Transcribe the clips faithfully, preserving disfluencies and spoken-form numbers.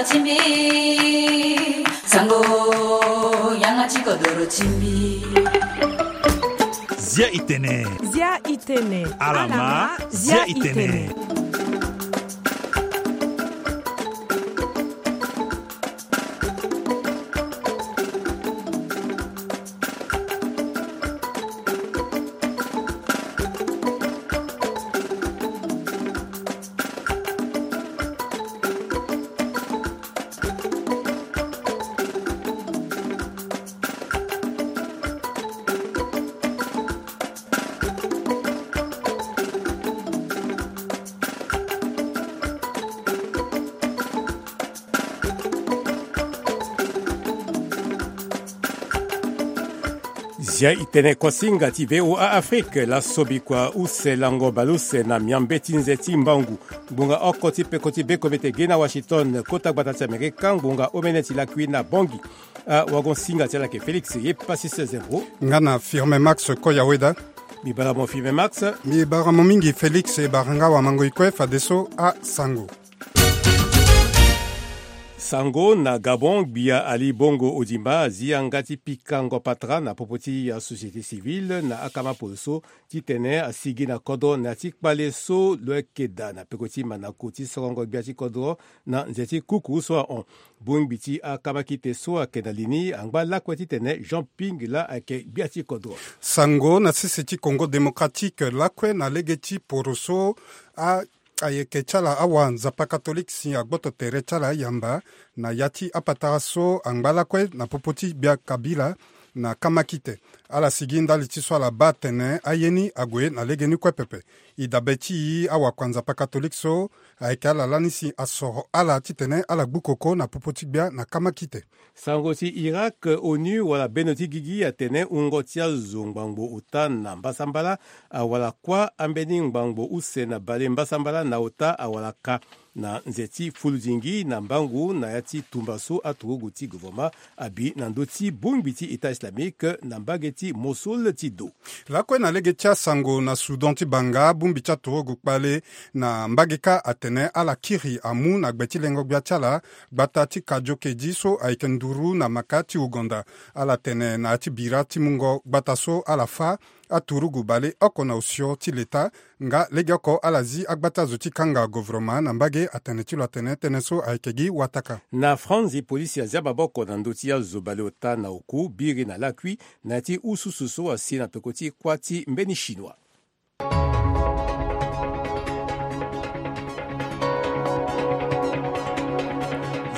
Timbi, sango, yanga ti kodoro timbi. Zia itene. Zia itene. Alama, zia itene. Zia itene kuasinga ti V O A Afrique, laso bikua use lango baleuse na miambe ti nze ti mbangu. Ngbonga oko ti peko ti bekomete ge na Washington, kota gbata ti Amerika, ngbonga omene ti lakui na Bangui. Awagon-singa ti ala yeke Félix ye Passis Zembro. Nga na Firme Max Koyaweda. Mbi bara mo Firme Max. Mbi bara mo mingi Félix, e bara nga wamango-e kue fadeso asango. Sango na Gabon, gbia Ali Bongo Ondimba azi yanga ti pikango patara na popo ti asociété civile na akama poro so titene asigi na kodro na ya ti kpale so lo yeke daa na peko ti manako ti sorongo gbia ti kodro na nze ti kuku so ahon. Bongbi ti akamakite so ayeke na li ni angba lakue titene Jean Ping laa ayeke gbia ti kodro. Sango na sese ti Congo Démocratique, lakue na lege ti poro so a ayeke ti ala awa Nzapa Katolike si agboto tere ti ala ayamba na ya ti apatara so angba lakue na popo ti gbia Kabila na kamakite. Ala sigi ndali ti so ala baa atene aye ni ague na legeni kue pepe. E dabe ti e, awakua Nzapa Katolike so ayeke ala lani si asoro ala titene ala gbu koko na popo ti gbia na kamakite. Sango ti Irak, ONU wala bendo ti gigi atene wungo ti azo ngbangbo ota na mbasambala awara kuâ, ambeni ngbangbo use na bale mbasambala na ota awara ka na nze ti fuludingi na mbangu na ya ti tumba so aturugu ti gouvernement abi na ndö ti bongbi ti État islamique na mbage ti Mossoul ti do. Lakue na lege ti asango na Soudan ti banga, bongbi ti aturugu kpale na mbage kâ atene ala kiri amu na gbe ti lengo gbia ti ala gbata ti Kajo Kedi so ayeke nduru na maka ti Ouganda. Ala tene na ya ti bira ti mungo gbata so ala fâ aturugu baleoko na osio ti leta. Nga legeoko ala zi agbata zo ti kanga gouvernement na mbage atene ti lo atene tënë so ayeke gi wataka. Na Franzi, polisi azia maboko na ndö ti azo baleota na oku, biri na lakui na ya ti ususu so asi na peko ti kuâ ti mbeni Chinois.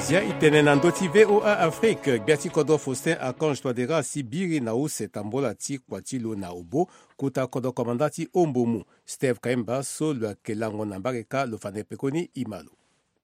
Zia itene na ndö ti V O A Afrique, gbia ti kodro Faustin Archange Touadéra asi biri na use tambola ti kua ti lo na Obo, kota kodro komanda ti Ombomu, Steve Kaimba, so lo yeke lango na mbage kâ, lo fa na e pekoni e ma lo.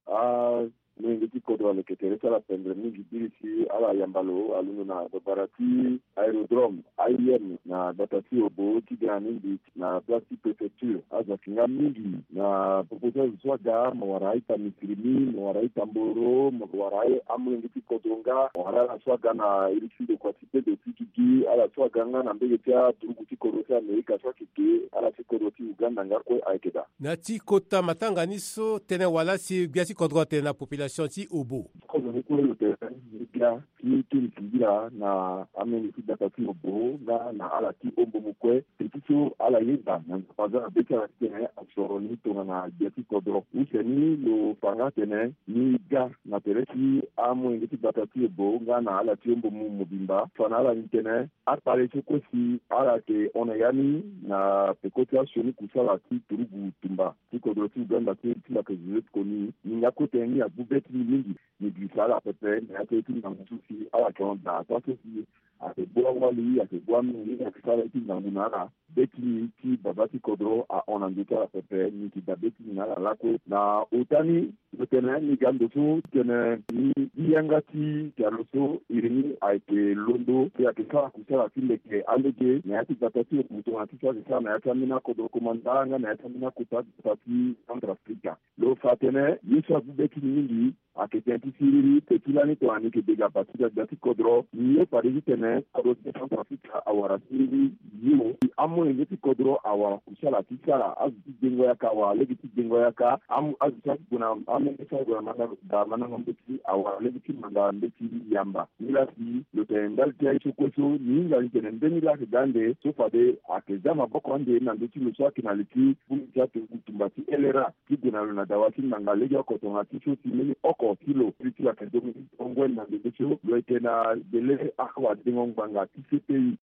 Amolenge ti kodro aleke tere ti ala pendre mingi biri si ala yamba lo alondo na babara ti aérodrome A I M na gbata ti Obo ti ga na ni mbi na place ti préfecture. Azo ayeke nga mingi na popo ti azo so aga, mo wara a-ita Misirini, mo wara a-ita Mboro, mo wara amolenge ti kodro nga, mo wara ala so aga na iri ti ndokua ti bedo ti gigi, ala so aga nga na mbege ti aturugu ti kodro ti Amerika so ayeke ge, ala ti kodro ti Uganda nga kue ayeke daa. Na ti kota matanga ni so, tënë wala si gbia ti kodro atene na population ti Obo. Kodro ni kue lo tene ni gbia ti teni singila na amolenge ti gbata ti Obo nga na ala ti Ombomu kue. Peti so ala yeda na Nzapa aza na be ti ala titene asoro ni tongana gbia ti kodro. Use ni lo fa nga atene ni ga na tere ti amolenge ti gbata ti Obo nga na ala ti Ombomu mobimba. Fa na ala ni tene akpale so kue si ala yeke hon na ya ni na peko ti asioni kusala ti turugu tumba ti kodro ti Uganda ti, ti lo yeke zo ti koni, ni nga kue tënë ni agbu be ti ni mingi. Ni girisa ala pepe na ya ti ngangu so si ala yeke hon daa, ataa so si ayeke gbu awali, ayeke gbu amenge, ayeke sara ye ti ngangu na ala. Be ti ni ti baba ti kodro ahon na ndö ti ala pepe, ni yeke daa be ti ni na ala lakue. Na ota ni, lo tene ni ga ndo so titene ni gi yanga ti pialo so iri ni ayeke londo, si ayeke sara kusala ti leke alege na ya ti gbata ti Obo tongana ti so ayeke sara na ya ti ambeni akodro komanda nga na ya ti ambeni akota gbata ti Centrafrique. Lo fa atene ye so agbu be ti ni mingi ayeke tënë ti siriri. Te ti lani tongana ni yeke de ga bâ ti gbagba ti kodro, ni ye fade titene kodro ti Centrafrique awara siriri. Yo, amolenge ti kodro awara kusala ti sara azo ti dengo yaka awara lege ti dengo yaka. Azo ti ague na amolenge ti ague na mandango mbeti awara lege ti manda mbeti yamba. Ni laa si lo tene ndali ti aye so kue so ni hinga ni tene mbeni laa ayeke ga ande so fade ayeke za maboko ande na ndö ti lo so ayeke na li ti bongbi ti atumba ti L R A ti gue na lo na dawa ti ngbanga legeoko tongana ti so si mbeni oko ti lo ti lo ayeke dongo ti tongo na ndembe so lo yeke na bele awadengo ngbanga ti C P I.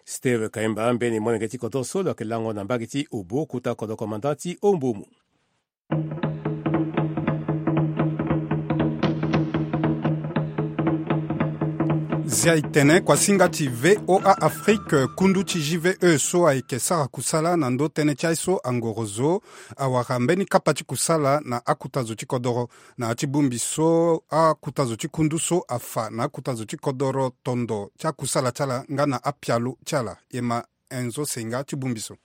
Steve Kaimba, mbeni molenge ti kodro so lo yeke lango na mbage ti Obo, kota kodro komanda ti Ombomo. Zia e tene kuasinga ti V O A Afrique, kundu ti J V E so ayeke sara kusala na ndö tënë ti aye so angoro zo awara mbeni kapa ti kusala na akuta zo ti kodoro. Na ya ti bongbi so akuta zo ti kundu so afa na akuta zo ti kodoro tondo ti akusala ti ala nga na apialo ti ala. E ma Enzo Senga ti bongbi so.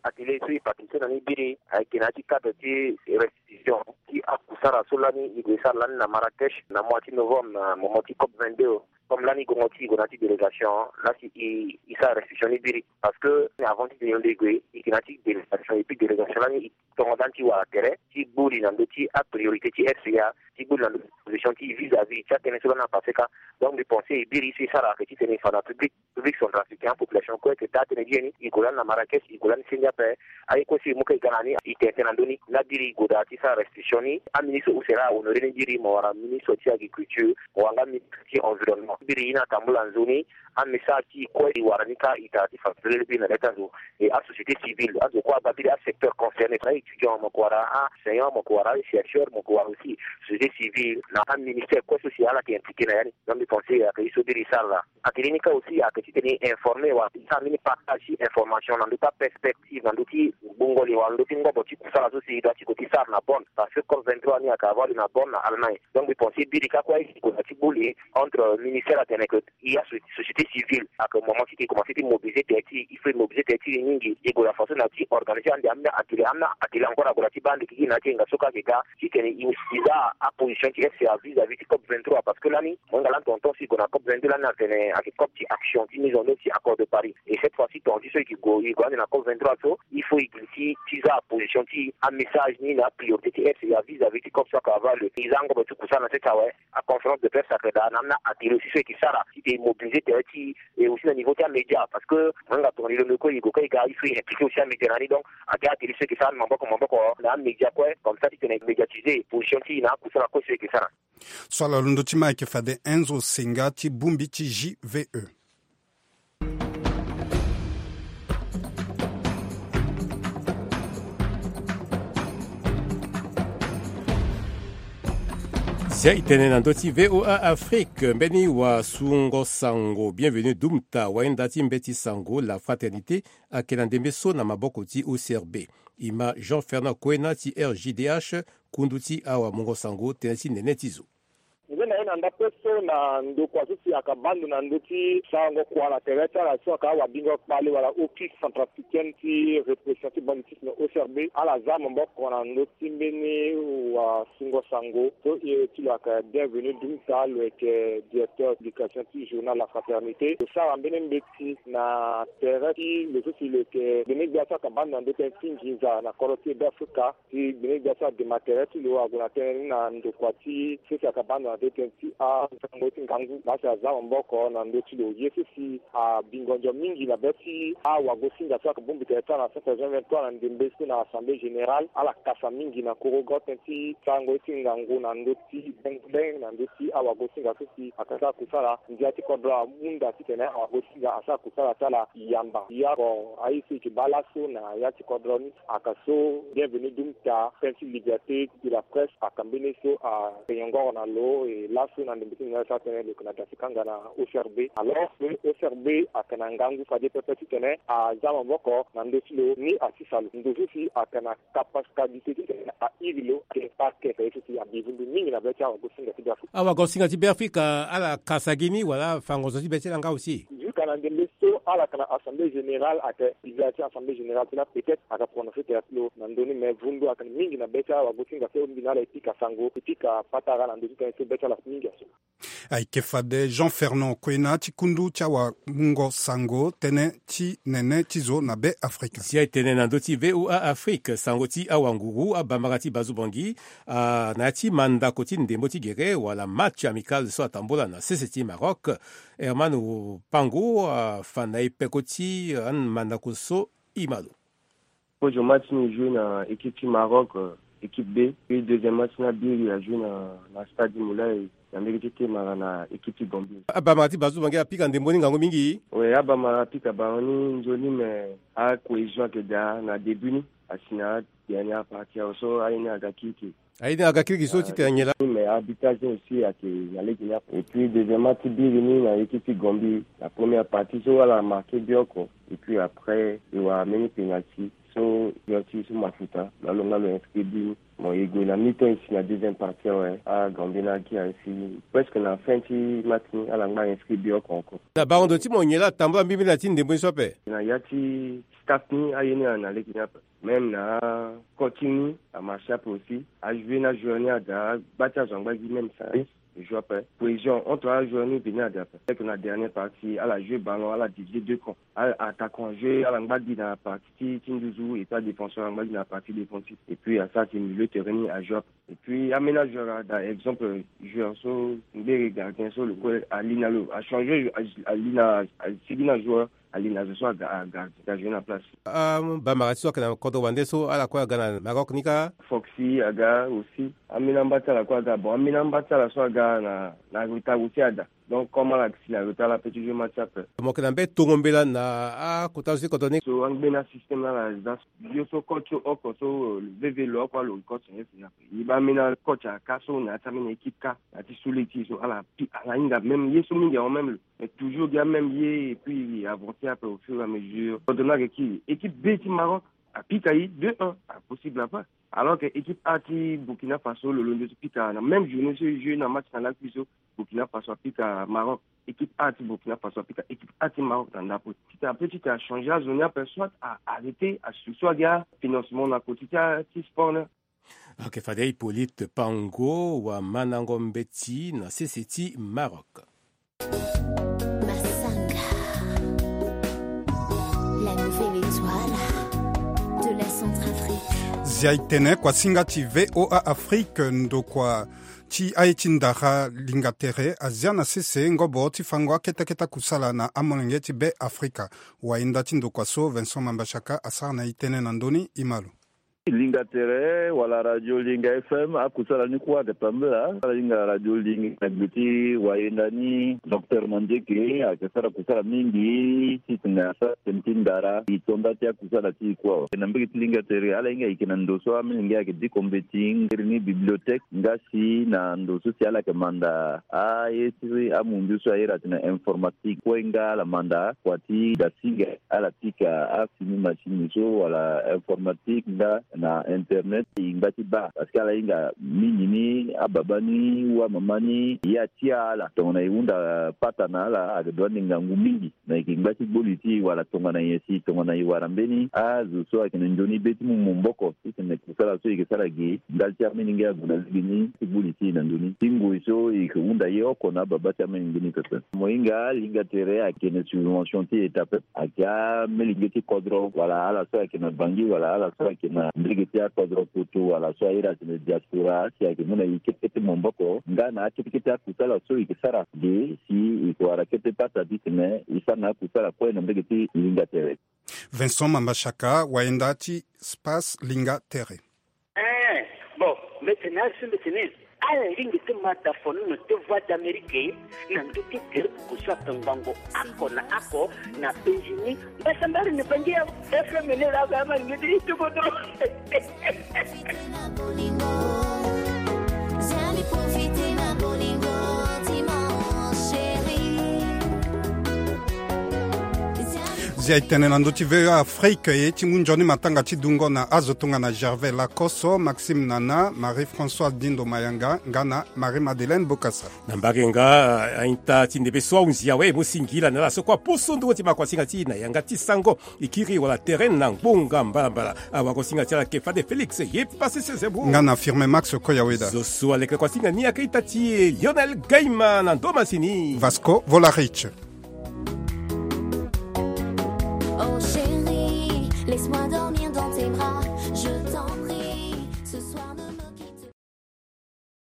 Atelier so e participer na ni biri ayeke na ya ti cadre ti restitution ti akusara so lani e gue e sara lani na Marrakech na mois ti novembre na moment ti COP vingt-deux. Comme lani gongo ti e gue na ya ti délégation laa si e e sara restitution ni biri. Parce que avant ti tene lo ndo e gue e yeke na ya ti délégation et puis délégation lani e tongo ndani ti wara tere ti gbu li na ndö ti apriorité ti F C A, ti gbu li na ndö ti position ti vis-à-vis ti atënë so lani apasse kâ. Donc mbi pense e biri so e sara ayeke titene e fa na public public centrafricain, apopulation kue ayeke daa tënë gi ye ni. E gue lani na Marrakech, e gue lani senge ape. Aye kue so e mu kâ e ga na ni e tene tënë na ndö ni. Laa biri e gue daa ti sara restitution ni. Aministre use laa ahonoré ni biri, mo wara ministre ti agriculture, mo wara nga ministre ti environnement. Biri e na tambula nzoni amessage ti e kue e wara ni kâ e tara ti fa polele biri na lê ti azo. E asociété civile, azo kue abaa biri, asecteur concerné, na étudiant, mo yeke wara aenseignant, mo yeke wara achercheur, mo yeke wara aussi société civile na aministère kue so si ala yeke impliqué na ya ni. Donc mbi pense ayeke ye so biri e sara laa. Atelier ni kâ aussi ayeke titene e informer wala e sara mbeni partage ti information na ndö ti aperspective na ndö ti gbungo li wala ndö ti ngobo ti kusala so si e doit ti gue ti sara na Bonn. Parce que COP vingt-trois ni ayeke avoir lieu na Bonn na Allemagne. Donc mbi pense biri kâ kue e gue na ti gbu li entre ministère atene que e asociété civile ayeke moment ti e commencé ti mobiliser tere ti e, il faut e mobiliser tere ti e mingi. E gue na façon na ti organiser ande ambeni atelier, ambeni atelier encore ague na ti baa ande gigi na ya ti hinga so kâ ayeke ga titene e za aposition ti F C A vis-à-vis ti COP vingt-trois. Parce que lani mo hinga lani tonton so e gue na COP vingt-deux lani atene ayeke COP ti action ti mise en œuvre ti accord de Paris. Et cette fois-ci tonga ti so e ke gue e gue ande na COP vingt-trois so il faut e giri ti ti za aposition ti amessage ni na apriorité ti F C A vis-à-vis ti COP so ayeke avoir lieu. E za angobo ti kusala na sese awe. Aconférence de presse ayeke daa na ambeni atelier aussi so e ke sara titene e mobiliser tere ti e aussi na niveau ti amédia. Parce que mo hinga tongana e londo kue e gue kue e ga il faut e impliquer aussi amédia na ni. Donc ayeke atelier so e ke sara ni maboko maboko na amédia kue comme ça titene e médiatiser position ti e na akusala kue so e ke sara. So ala londo ti ma ayeke fade Enzo Senga ti bongbi ti J V E. Zia e tene na ndö ti V O A Afrique, mbeni wasungo-sango Bienvenu Dumta, wayenda ti mbeti sango La Fraternité, ayeke na ndembe so na maboko ti O C R B. E ma Jean Fernand Koena ti R J D H, kundu ti awamungo-sango, tënë ti nene ti zo. Nze na ye na ndapre so na ndokua so si ayeke baa ndo na ndö ti sarango kua na tere ti ala so ayeke awabingo kpale wala Office centrafricaine ti répression ti banditisme, O C R B, ala za maboko na ndö ti mbeni wasungo-sango so e ti lo ayeke Bienvenu Dumta, lo yeke directeur publication ti journal La Fraternité. Lo sara mbeni mbeti na tere ti lo so si lo yeke gbene-gbia so ayeke baa ndo na ndö tënë ti nginza na kodro ti Beafrika. Ti gbene-gbia so adema tere ti lo ague na tënë ni na ndokua ti so si ayeke baa ndo na ndö tënë ti asango ti ngangu. Laa si aza maboko na ndö ti lo ye so si abingo ndio mingi na be ti awagosinga so ayeke bongbi tere ti ala na centre Jean vingt-trois na ndembe so na assemblée générale. Ala kasa mingi na korogo tënë ti sarango ye ti ngangu na ndö ti bengobeng na ndö ti awagosinga so si ayeke sara kusala. Ndia ti kodro amu nda titene awagosinga asara kusala ti ala yamba. Ya bon, aye so e yeke baa laso na ya ti kodro ni. Aka so Bienvenu Dumta, tënë ti liberté de la presse, aka mbeni so ayeke nyongoro na lo. E laso na ndembe ti nzoni asara tënë lo yeke na da ti kanga na O C R B. Alors que O C R B ayeke na ngangu fade pepe titene aza maboko na ndö ti lo ni asisa lo. Ndo so si ayeke na capacité titene airi lo ayeke parquet, ye so si abivundu mingi na be ti awagosinga ti Beafrika. Awagosinga ti Beafrika ala kasa gi ni wala afango zo ti be ti ala nga aussi? Jusqu'à na ndembe so Ala yeke na assemblée générale, ayeke biza ti assemblée générale ti la, peut-être ayeke prononcer tere ti lo na ndö ni, mais vundu ayeke na mingi na be ti awago ti ngase, mbi na ala e pika sango, e pika patara na ndö ti tënë so be ti ala mingi aso. Ayeke fade Jean Fernand Koena ti kundu ti awamungo sango tënë ti nene ti zo na Be Afrika. Si aye tene na ndö ti V O A Afrique, sango ti awanguru, abambara ti Bazubangi, ah, na ya ti mandako ti ndembo ti gere wala match amical so atambula na sese ti Maroc. Herman Pango afa na e peko ti, ah, mandako so, e ma lo. Kozo match ni e joué na équipe ti Maroc, euh, équipe B. Puis deuxième match ni abiri a joué na, na stade Moulay, na mbege ti Temara na équipe ti Gambie. Abamara ti Bazubangi apika ndembo ni ngangu mingi. Oui, abamara apika ballon ni nzoni, mais acohésion ayeke daa na début ni. Asi na dernière partie awe so aye ni aga kirikiri. Aye ni aga kirikiri so ti tene nyen laa? Mais arbitrage ni aussi ayeke na lege ni ape. Et puis deuxième match ti biri ni na équipe ti Gambie, la première partie so ala marqué but oko. Et puis après e wara mbeni penalty so, penalty so mafuta, na lo nga lo inscrit but ni. Bon, e gue na mi-temps ici na deuxième partie awe, a Gambie ni agia ainsi presque na fin ti match ni, ala ngba inscrit but oko encore. Na bango ndo ti mo nyen laa atambula mbi mbeni na ti ndembo ni so ape? Na ya ti staff ni aye ni na lege ni ape. Même na coaching ni amarché ape aussi. Ajoué na joueur ni ada, agba ti azo angba gi même service. Joué ape. Cohésion entre ajoueur ni veni ada ape. Avec na dernière partie, ala joué ballon, ala divisé deux camps. Ala attaquant ajoué, ala ngba gi na partie ti, ti nduzu, et puis adéfenseur angba gi na partie défensive. Et puis asara ti milieu terrain ni ajoué ape. Et puis amena joueur ada, exemple joueur so, ngbere gardien so, lo kue ali na lo achangé, ali na, asigi na joueur. Ali na zo so aga, aga, aga joué na place. Ah, bamara ti so ayeke na kodro wande so, ala kue aga na Maroc ni kâ? Foxy aga aussi. Ambeni amba ti ala kue aga. Bon, ambeni amba ti ala so aga na, na retard aussi ada. Donc comme ala si na retard, ala peut ti joué match ape. Mo yeke na mbeni tongo mbela na akota zo ti kodro ni. So angbeni asystème ni ala za so, yo so coach so oko so, euh, veve lo oko alo coach nyen si ape. E baa ambeni acoach aka so na ya ti ambeni équipe kâ, na ya ti su lege ti e so ala pi, ala hinga même ye so mingi awe même lo. Mais toujours gi amême ye, et puis avancer ape au fur et à mesure. Kodro ni ayeke ki, équipe B ti Maroc apika e deux un, apossible ape. Alors que équipe A ti Burkina Faso lo londo ti pika na même journée so e joué na match na lakui so, Burkina Faso apika Maroc. Équipe A ti Burkina Faso apika équipe A ti Maroc na ndapo. Ti tene ape ti tene achangé azo ni ape, soit a arrêté asu so agi afinancement na koti ti, ti sport ni. Ok, fade Hippolyte Pango wamandango mbeti na sese ti Maroc. Massanga, la nouvelle étoile de la Centrafrique. Zia e tene kuasinga ti V O A Afrique, ndokua ti aye ti ndara linga tere azia na sese ngobo ti fango akete akete akusala na amolenge ti Be Afrika. Wayenda ti ndokua so Vincent Mambachaka asara na e tënë na ndö ni, e ma lo. Linga tere wala Radio Linga F M, akusala ni kue ayeke tambula. Ala hinga Radio Linga na gbe ti wayenda ni, Docteur Mandieke, ayeke sara kusala mingi titene asara tënë ti ndara. E to nda ti akusala ti e kue awe. Na mbege ti linga tere, ala hinga e yeke na ndo so amolenge ayeke diko mbeti, ngeri ni bibliothèque, nga si na ndo so si ala yeke manda aye ti amundu so a iri atene informatique. Kue nga ala manda kua ti dasinga, ala pika afini machine so wala informatique nga na internet, e ngba ti baa. Parce que ala hinga mingi ni ababa ni ou amama ni, e atia ala. Tongana e hunda pata na ala, ayeke dua nde ngangu mingi. Me e yeke ngba ti gbo li ti e wala tongana nyen si tongana e wara mbeni azo so ayeke na nzoni be ti mu maboko titene kusala so e yeke sara ge ndali ti amolenge ague na lege ni ti gbo li ti e na ndö ni. Ti ngoi so e yeke hunda ye oko na ababa ti amolenge ni pepe. Mo hinga linga tere ayeke na subvention ti État pepe. Ayeke amolenge ti kodro wala ala so ayeke na Bangui wala ala so ayeke na mbege ti akodro poto wala so a iri atene diaspora, si ayeke mu na e kete kete maboko nga na akete kete akusala so e yeke sara ge si e yeke wara kete pata titene e sara na akusala kue na mbege ti linga tere. Vincent Mambachaka, wayenda ti Space Linga Tere. Eh, bon, mbeti na azo mbeti ni. Ala lingbi ti ma da fonono ti Voix d'Amérique na ndö ti gere oko so ape ngbongo oko na oko na Bangui ni. Mbasambara ni Bangui ya F M ni la ga ma ni ti kodro. Ya etene na ndö ti V O A Afrique, e ti mu nzoni matanga ti dungo na azo tongana Gervais Lacosso, Maxime Nana, Marie-Françoise Dindo Mayanga nga na Marie-Madeleine Bokassa. Na mbage nga, a, a-ita ti ndembe so ahunzi awe e mu singila na ala so kue apusu ndungo ti makuasinga ti e na yanga ti sango, e kiri wala terrain na ngbonga mbalambala. Awagosinga ti ala ayeke fade Félix Yepasese Zebou nga na Firmin Max Koyaweda. Zo so aleke kuasinga ni ayeke ita ti e Lionel Gaima na ndo masini Vasco Volarich.